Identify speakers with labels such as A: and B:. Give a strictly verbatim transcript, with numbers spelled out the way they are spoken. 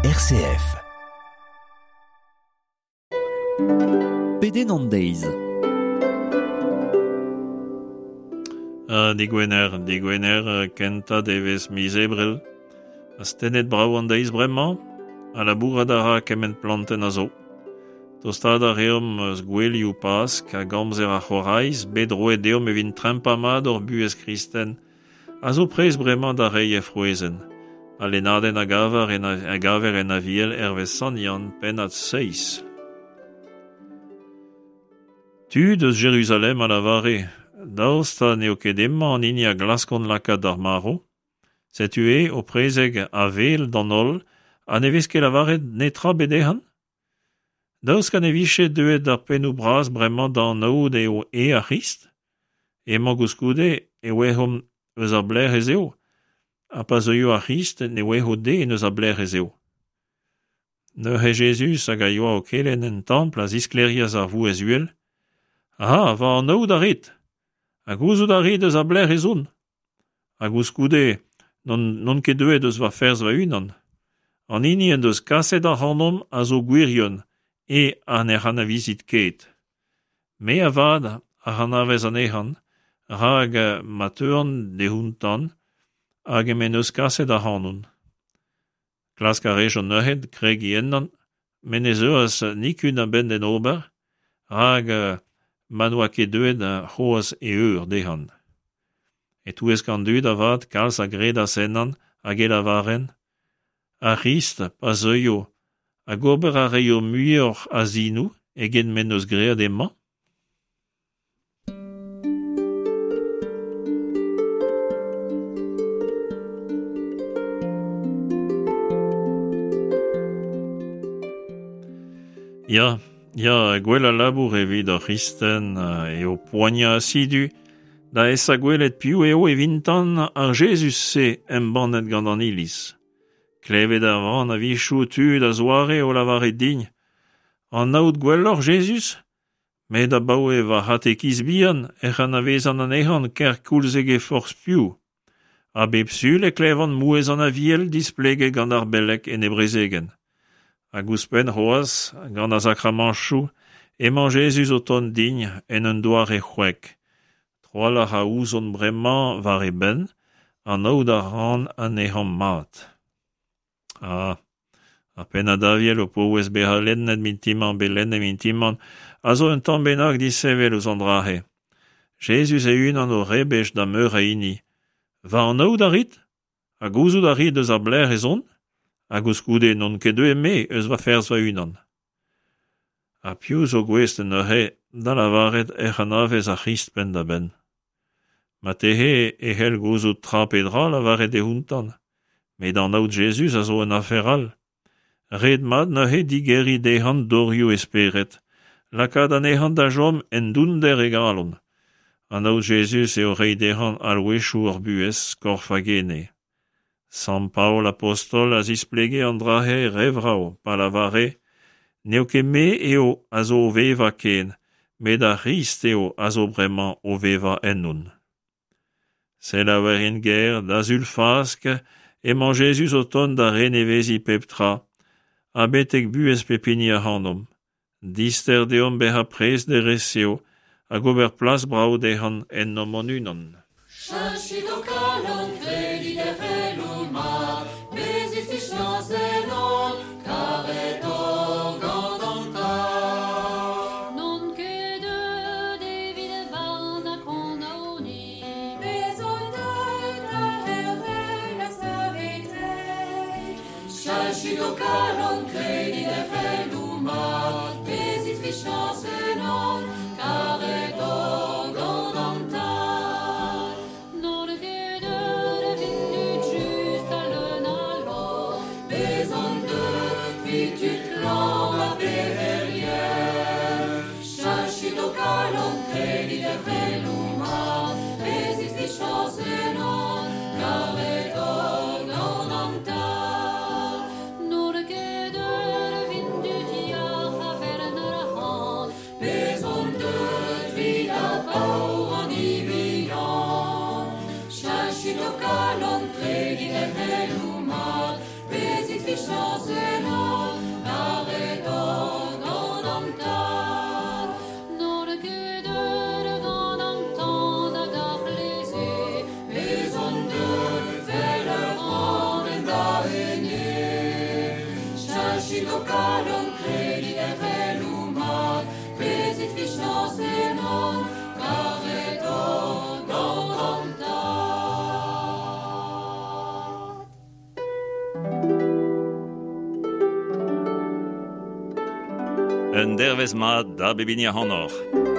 A: R C F.
B: Pedenn an deiz.
C: Uh, digwener, digwener, kentañ devezh miz Ebrel. Astennet brav an deiz bremañ, ha labourat a ra kement plantenn a zo. Tostaat a reomp eus gouelioù Pask hag amzer ar c'horaiz, bet roet deomp evit trempañ mat hor buhez kristen, a zo prest bremañ da reiñ he frouezhenn. Al lennadenn a gaver en, a gaver en Aviel hervez Sant Yann, pennad seizh. Tud eus Jeruzalem a lavare, daoust ha n'eo ket hemañ an hini a glaskont lakaat d'ar marv? Setu eo o prezeg a-wel d'an holl ha ne vez ket lavaret netra bet dezhañ? Daoust ha ne vije deuet ar pennoù bras bremañ da anaout eo eo ar C'hrist? Emañ koulskoude e ouezomp eus a belec'h ez eo, ha pa zeuio ar C'hrist ne ouezo den eus a belec'h ez eo. Neuze Jezuz hag a yoa o kelenn en templ a zisklêrias a vouezh uhel. Ah, va anaout a rit! Ha gouzout a rit eus a belec'h ez on? Ha koulskoude n'on, n'on ket deuet eus va ferzh va-unan. An hini en deus kaset ac'hanon a zo gwirion, e ha n'ec'h anavezit ket. Me avat a anavez anezhan, rak ma teuan dioutañ, hag eñ en deus kaset ac'hanon. Klask a rejont neuze kregiñ ennañ, met ne zeuas nikun a-benn d'en ober, rak ma n'oa ket deuet c'hoazh e eur dezhañ. E-touesk an dud avat kalz a gredas ennañ hag e lavarent, Ar C'hrist, pa zeuio, hag ober a raio muioc'h a sinoù eget m'en deus graet hemañ? Ya, ya, gwellañ labour evit ur c'hristen eo poaniañ asidu da esa gwelet piv eo evintan ar Jezuz-se embannet gant an Iliz. Klevet a ran a-wechoù tud a-zoare o lavaret din, Anaout gwelloc'h Jezuz? Met abaoe va c'hatekiz bihan ec'h anavezan anezhañ kerkoulz eget forzh piv. Ha bep sul e klevan mouezh an Aviel displeget gant ar beleg en e brezegenn. Hag ouzhpenn c'hoazh, gant ar sakramantoù, emañ Jezuz o tont din en un doare c'hwek. Trawalc'h a ouzon bremañ war e benn, anaout a ran anezhañ mat. Ah, ar pennad Aviel o paouez bezañ lennet mintin-mañ bet lennet mintin-mañ a zo un tamm bennak disheñvel eus an dra-se. Jezuz e-unan o rebech da meur a hini. Va anaout a rit? Ha gouzout a rit eus a belec'h ez on? Ha koulskoude n'on ket deuet me eus va ferzh va-unan. Ha piv zo gouest neuze da lavaret ec'h anavez ar C'hrist penn-da-benn? Marteze e c'hell gouzout tra pe dra lavaret dioutañ, met anaout Jezuz a zo un afer all. Ret mat neuze digeriñ dezhañ dorioù e spered, lakaat anezhañ da chom en dounder e galon. Anaout Jezuz eo reiñ dezhañ alc'hwezioù hor buhez, korf hag ene. Sant Paol Abostol a zisplege an dra-se re vrav, pa lavare, n'eo ket me eo a zo o vevañ ken, met ar C'hrist eo a zo bremañ o vevañ ennon. Selaouerien ger, da Sul Fask, emañ Jezuz o tont da reneveziñ pep tra, ha betek buhez pep hini ac'hanomp. Dister deomp bezañ prest d'e resev hag ober plas brav dezhañ ennomp hon-unan.
D: Cheñchit ho kalon, kredit er c'heloù mat, bezit fiziañs ennon, karet oc'h gant an Tad.
E: N'on ket deuet evit barn ac'hanoc'h-ni.
F: Bez on deuet da c'hervel ha saveteiñ.
D: Cheñchit ho kalon, kredit er c'heloù mat, bezit fiziañs ennon, karet oc'h gant an Tad.
E: N'on ket deuet evit tud just ha leun a lorc'h.
D: Bez on deuet evit tud klañv ha pec'herien. Cheñchit ho kalon, kredit er c'heloù mat, bezit fiziañs ennon, karet oc'h gant an Tad.
E: N'on ket deuet evit tud yac'h ha fellet arc'hant.
D: Bez on deuet evit ar paour an bihan. Cheñchit ho kalon, kredit er c'heloù mat, bezit fiziañs
C: Un dervez mat da bep hini ac'hanoc'h.